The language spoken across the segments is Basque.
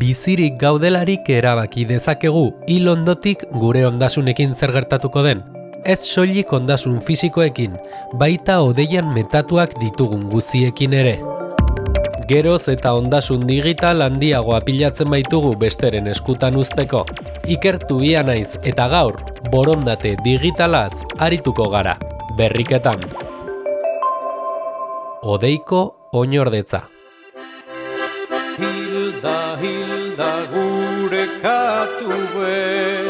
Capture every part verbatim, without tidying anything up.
bizirik gaudelarik erabaki dezakegu hil ondotik gure ondasunekin zer gertatuko den. Ez soilik ondasun fisikoekin, baita hodeian metatuak ditugun guziekin ere. Geroz eta ondasun digital handiagoa pilatzen baitugu besteren eskutan uzteko. Ikertu ia naiz eta gaur, borondate digitalaz arituko gara, berriketan. Hodeiko oinordetza. Hilda, hilda gure katue,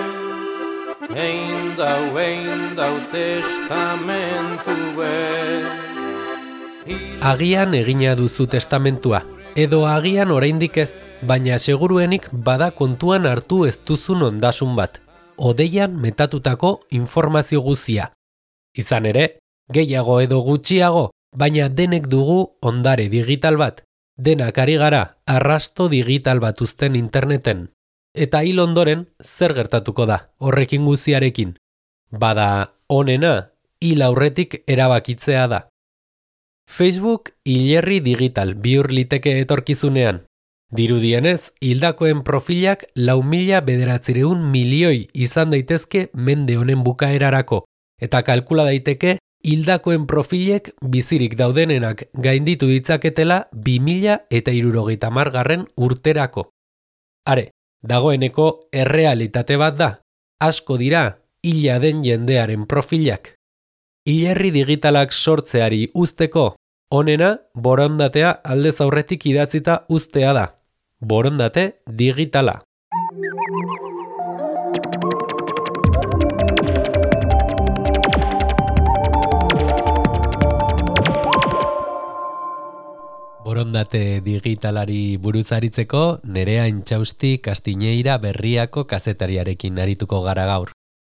ein dau, ein dau testamentue. Agian egina duzu testamentua, edo agian oraindik ez, baina seguruenik bada kontuan hartu ez duzun ondasun bat, hodeian metatutako informazio guzia. Izan ere, gehiago edo gutxiago, baina denek dugu ondare digital bat, denak ari gara arrasto digital bat uzten interneten. Eta hil ondoren, zer gertatuko da horrekin guziarekin? Bada onena, hil aurretik erabakitzea da. Facebook hilerri digital bihur liteke etorkizunean. Dirudienez, hildakoen profilak lau mila bederatzireun milioi izan daitezke mende honen bukaerarako, eta kalkula daiteke hildakoen profilek bizirik daudenenak gainditu ditzaketela bi mila eta hirurogeita hamar garren urterako. Are, dagoeneko errealitate bat da, asko dira hila den jendearen profilak. Hilerri digitalak sortzeari uzteko, onena borondatea aldez aurretik idatzita uztea da. Borondate digitala. Borondate digitalari buruz aritzeko, Nerea Intxausti Kastiñeira Berriako kazetariarekin arituko gara gaur.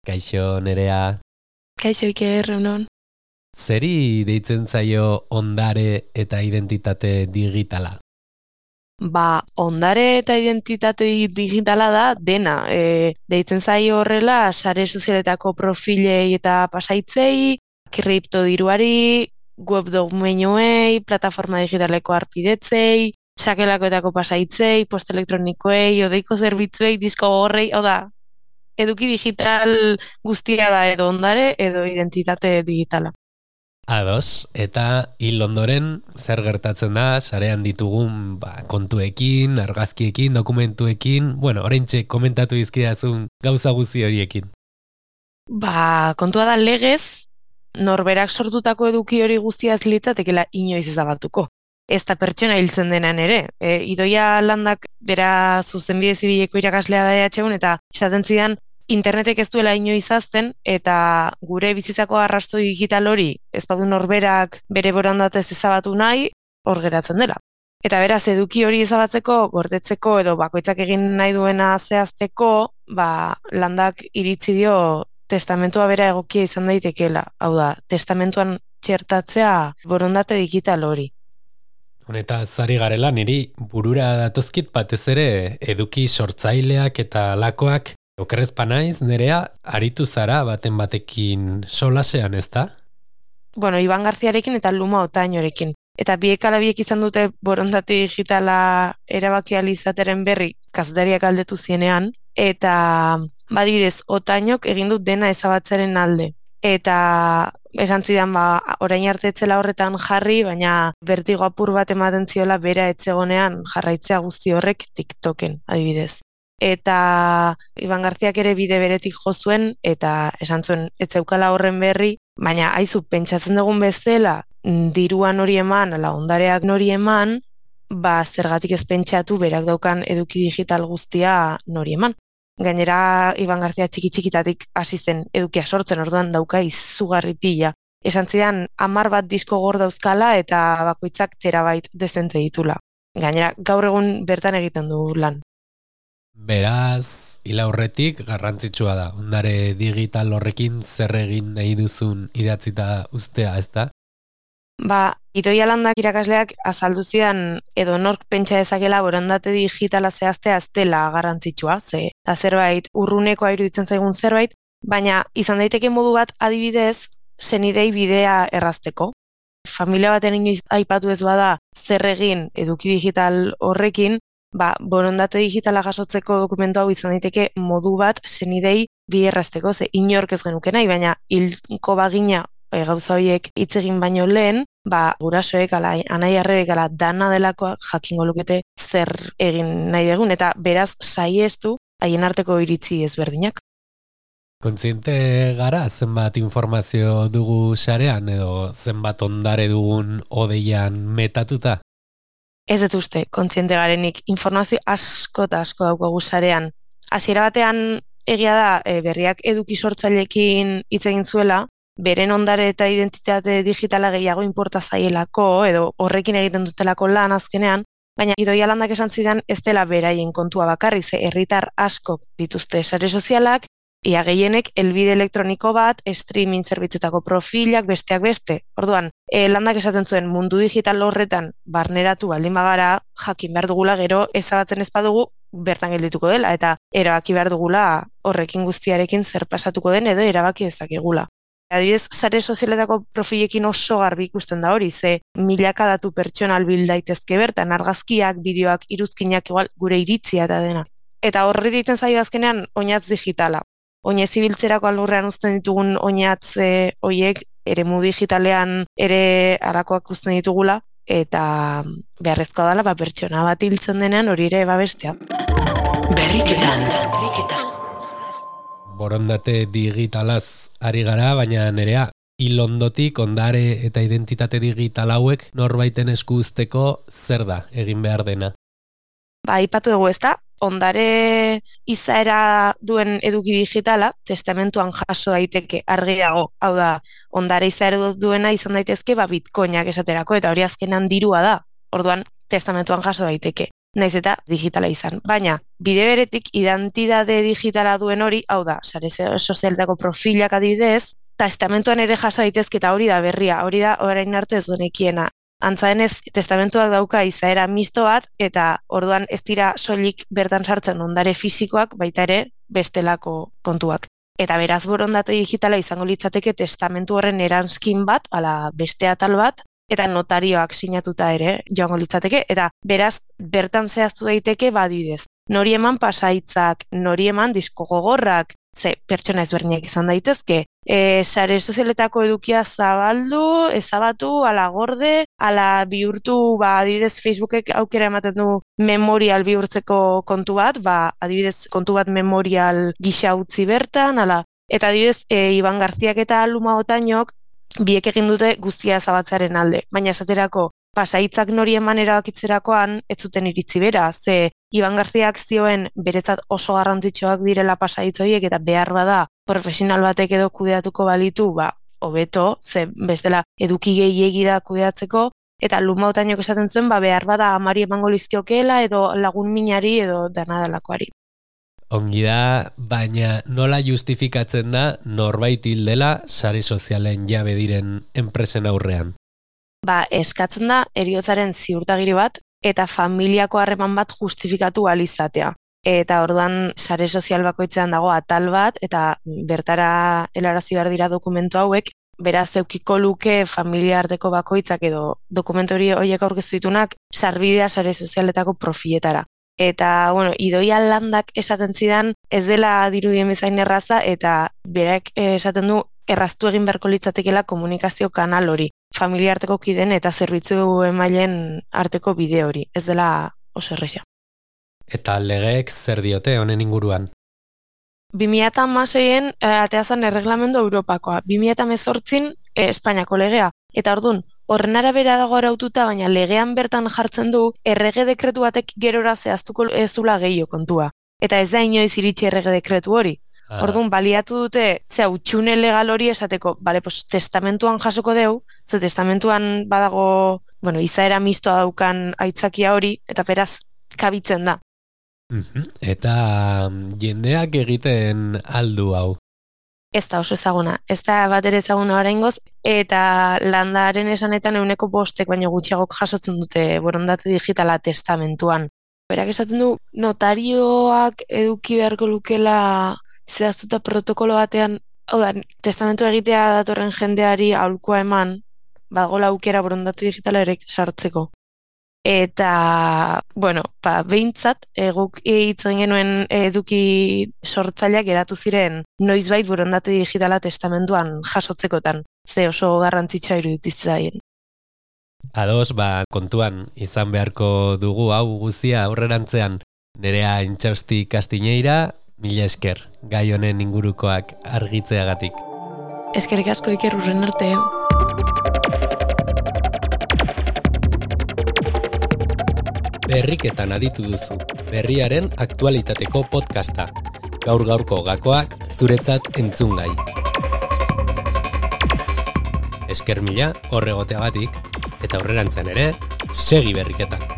Kaixo, Nerea. Kaixo, Iker, egunon. Zeri deitzen zaio ondare eta identitate digitala? Ba, ondare eta identitate digitala da dena. E, deitzen zaio horrela, sare sozialetako profilei eta pasaitzei, kriptodiruari, web domenioei, plataforma digitaleko arpidetzei, sakelakoetako pasaitzei, post elektronikoei, hodeiko zerbitzuei, disko gorrei, hau da, eduki digital guztia da edo ondare edo identitate digitala. Ados, eta hil ondoren zer gertatzen da, sarean ditugun ba, kontuekin, argazkiekin, dokumentuekin, bueno, oraintxe komentatu dizkidazun gauza guzti horiekin. Ba, kontua da legez, norberak sortutako eduki hori guztia zilitzatekela inoiz ezabatuko. Ez da pertsona hiltzen denan ere. E, Idoia Landak bera zuzenbide zibileko irakaslea da E H un eta esaten zidan internetek ez duela inoiz azten eta gure bizitzako arrasto digital hori ez badu norberak bere borondatez ezabatu nahi, hor geratzen dela. Eta beraz, eduki hori ezabatzeko, gordetzeko edo bakoitzak egin nahi duena zehazteko, ba, Landak iritzi dio testamentua bera egokia izan daitekeela. Hau da, testamentuan txertatzea borondate digital hori. Honeta zari garela niri burura datozkit batez ere eduki sortzaileak eta lakoak okerrezpa naiz, Nerea, aritu zara baten batekin solasean, ez da? Bueno, Iban Garziarekin eta Luma Otainorekin. Eta biek ala biek izan dute borondate digitala erabaki ahal izateren berri kazetariak galdetu zienean, eta badibidez, Otainok egin dut dena ezabatzaren alde. Eta esan zidan, ba, orain arte etzela horretan jarri, baina bertigo apur bat ematen ziola bera etzegonean jarraitzea guzti horrek TikToken, adibidez. Eta Iban Garziak ere bide beretik jo zuen, eta esan zuen etzeukala horren berri, baina aizu, pentsatzen dugun bezala, diruan hori eman, ala ondareak nori eman, ba zergatik ez pentsatu berak daukan eduki digital guztia nori eman. Gainera, Iban Garzia txiki-txikitatik hasi zen edukia sortzen, orduan dauka izugarri pila. Esan zidan, hamar bat disko gor dauzkala eta bakoitzak terabait dezente ditula. Gainera, gaur egun bertan egiten du lan. Beraz, hil aurretik garrantzitsua da. Ondare digital horrekin zer egin nahi duzun idatzita ustea, ez da? Ba, Idoia Landak irakasleak azaldu zidan edo nork pentsa dezakela borondate digitala zehaztea ez dela garrantzitsua, ze eta zerbait urrunekoa iruditzen zaigun zerbait, baina izan daiteke modu bat adibidez senidei bidea errazteko. Familia baten inoiz aipatu ez bada zer egin eduki digital horrekin, ba, borondate digitala jasotzeko dokumentu hau izan daiteke modu bat senidei biherrazteko, ze inork ez genuke nahi, baina hilko bagina e, gauza horiek hitz egin baino lehen, ba, gurasoek, ala, anai arrebek, ala, dana delakoak jakingo lukete zer egin nahi dugun, eta beraz saiestu haien arteko iritzi ezberdinak. Kontziente gara zenbat informazio dugu sarean edo zenbat ondare dugun odeian metatuta? Ez dut uste, kontziente garenik, informazio asko eta asko daukagu sarean. Hasiera batean egia da e, berriak eduki sortzaileekin hitz egin zuela, beren ondare eta identitate digitala gehiago inporta zaielako edo horrekin egiten dutelako lan azkenean, baina Idoia Landak esan zidan ez dela beraien kontua bakarri, ze herritar askok dituzte sare sozialak, ia gehienek helbide elektroniko bat, streaming zerbitzetako profilak, besteak beste. Orduan, e, Landak esaten zuen mundu digital horretan barneratu baldin bagara, jakin behar dugula gero ezabatzen ez badugu bertan geldituko dela, eta erabaki behar dugula horrekin guztiarekin zer pasatuko den edo erabaki dezakegula. Adibidez, sare sozialetako profilekin oso garbi ikusten da hori, ze milaka datu pertsonal bil daitezke bertan, argazkiak, bideoak, iruzkinak, igual, gure iritzia eta dena. Eta horri ditzen zaio azkenean oinatz digitala. Oinez ibiltzerako alurrean uzten ditugun oinatz e, oiek, eremu digitalean ere arakoak uzten ditugula, eta beharrezkoa dela, ba, pertsona bat hiltzen denean hori ere babestea. Berriketan. Berriketan. Borondate digitalaz ari gara, baina nerea, ilondotik ondare eta identitate digital hauek norbaiten esku uzteko zer da egin behar dena? Ba, aipatu dugu ezta, ondare izaera duen eduki digitala, testamentuan jaso daiteke argiago, hau da, ondare izaera duena izan daitezke, ba, bitcoinak esaterako, eta hori azkenan dirua da, orduan testamentuan jaso daiteke. Naiz eta digitala izan. Baina, bide beretik identitate digitala duen hori, hau da, sare sozialetako profilak adibidez, testamentuan ere jaso daitezke eta hori da berria, hori da orain arte ez genekiena. Antza denez, testamentuak dauka izaera misto bat, eta orduan ez dira soilik bertan sartzen ondare fisikoak, baita ere bestelako kontuak. Eta beraz borondate digitala izango litzateke testamentu horren eranskin bat, ala beste atal bat, eta notarioak sinatuta ere joango litzateke, eta beraz bertan zehaztu daiteke badibidez. Nori eman pasaitzak, nori eman disko gogorrak, ze pertsona ezberdinak izan daitezke, e, sare sozialetako edukia zabaldu, ezabatu, ala gorde, ala bihurtu, ba, adibidez Facebookek aukera ematen du memorial bihurtzeko kontu bat, ba, adibidez kontu bat memorial gisa utzi bertan, ala, eta adibidez e, Iban Garziak eta Luma Otainok biek egin dute guztia ezabatzaren alde, baina esaterako pasaitzak nori eman erabakitzerakoan ez zuten iritzi bera, ze Iban Garziak zioen beretzat oso garrantzitsuak direla pasaitz horiek eta behar bada profesional batek edo kudeatuko balitu, ba, hobeto, ze bestela eduki gehiegi da kudeatzeko, eta Luma Otainok esaten zuen, ba, behar bada amari emango lizkiokeela edo lagun minari edo dana delakoari. Ongi da, baina nola justifikatzen da norbait hil dela sare sozialen jabe diren enpresen aurrean? Ba, eskatzen da heriotzaren ziurtagiri bat eta familiako harreman bat justifikatu ahal izatea. Eta orduan sare sozial bakoitzean dago atal bat eta bertara helarazi behar dira dokumentu hauek, beraz eukiko luke familia arteko bakoitzak edo dokumentu horiek aurkeztu ditunak sarbidea sare sozialetako profiletara. Eta, bueno, Idoia Landak esaten zidan ez dela dirudien bezain erraza eta berak esaten du erraztu egin beharko litzatekela komunikazio kanal hori, familia arteko kiden eta zerbitzu emaileen arteko bide hori, ez dela oso erraza. Eta legeek zer diote honen inguruan? bi mila hamaseian ateazan erreglamendu Europakoa, bi mila hemezortzin eh, Espainiako legea, eta ordun horren arabera dago araututa, baina legean bertan jartzen du errege dekretu batek gerora zehaztuko ez dula gehiago kontua. Eta ez da inoiz iritsi errege dekretu hori. Ah. Orduan baliatu dute, ze utxune legal hori esateko, bale, pues, testamentuan jasoko deu, ze testamentuan badago, bueno, izaera mistoa daukan aitzakia hori, eta beraz kabitzen da. Mm-hmm. Eta jendeak egiten aldu hau? Ez da oso ezaguna, ez da bat ere ezaguna oraingoz, eta Landaren esanetan euneko bostek baino gutxiagok jasotzen dute borondate digitala testamentuan. Berak esaten du, notarioak eduki beharko lukela zehaztuta protokolo batean, hau da, testamentu egitea datorren jendeari aholkua eman, badagoela aukera borondate digitala ere sartzeko. Eta, bueno, ba, behintzat, eguk hitzen genuen eduki sortzaileak geratu ziren noizbait borondate digitala testamentuan jasotzekotan. Ze oso garrantzitsua iruditzaien. Ados, ba, kontuan izan beharko dugu hau guzia aurrerantzean. Nerea Intxausti Kastiñeira, mila esker, gai honen ingurukoak argitzeagatik. Eskerrik asko Iker, urren arte. Berriketan aditu duzu, berriaren aktualitateko podcasta. Gaur-gaurko gakoak zuretzat entzungai. Esker mila horregoteagatik, eta aurrerantzean ere, segi berriketan.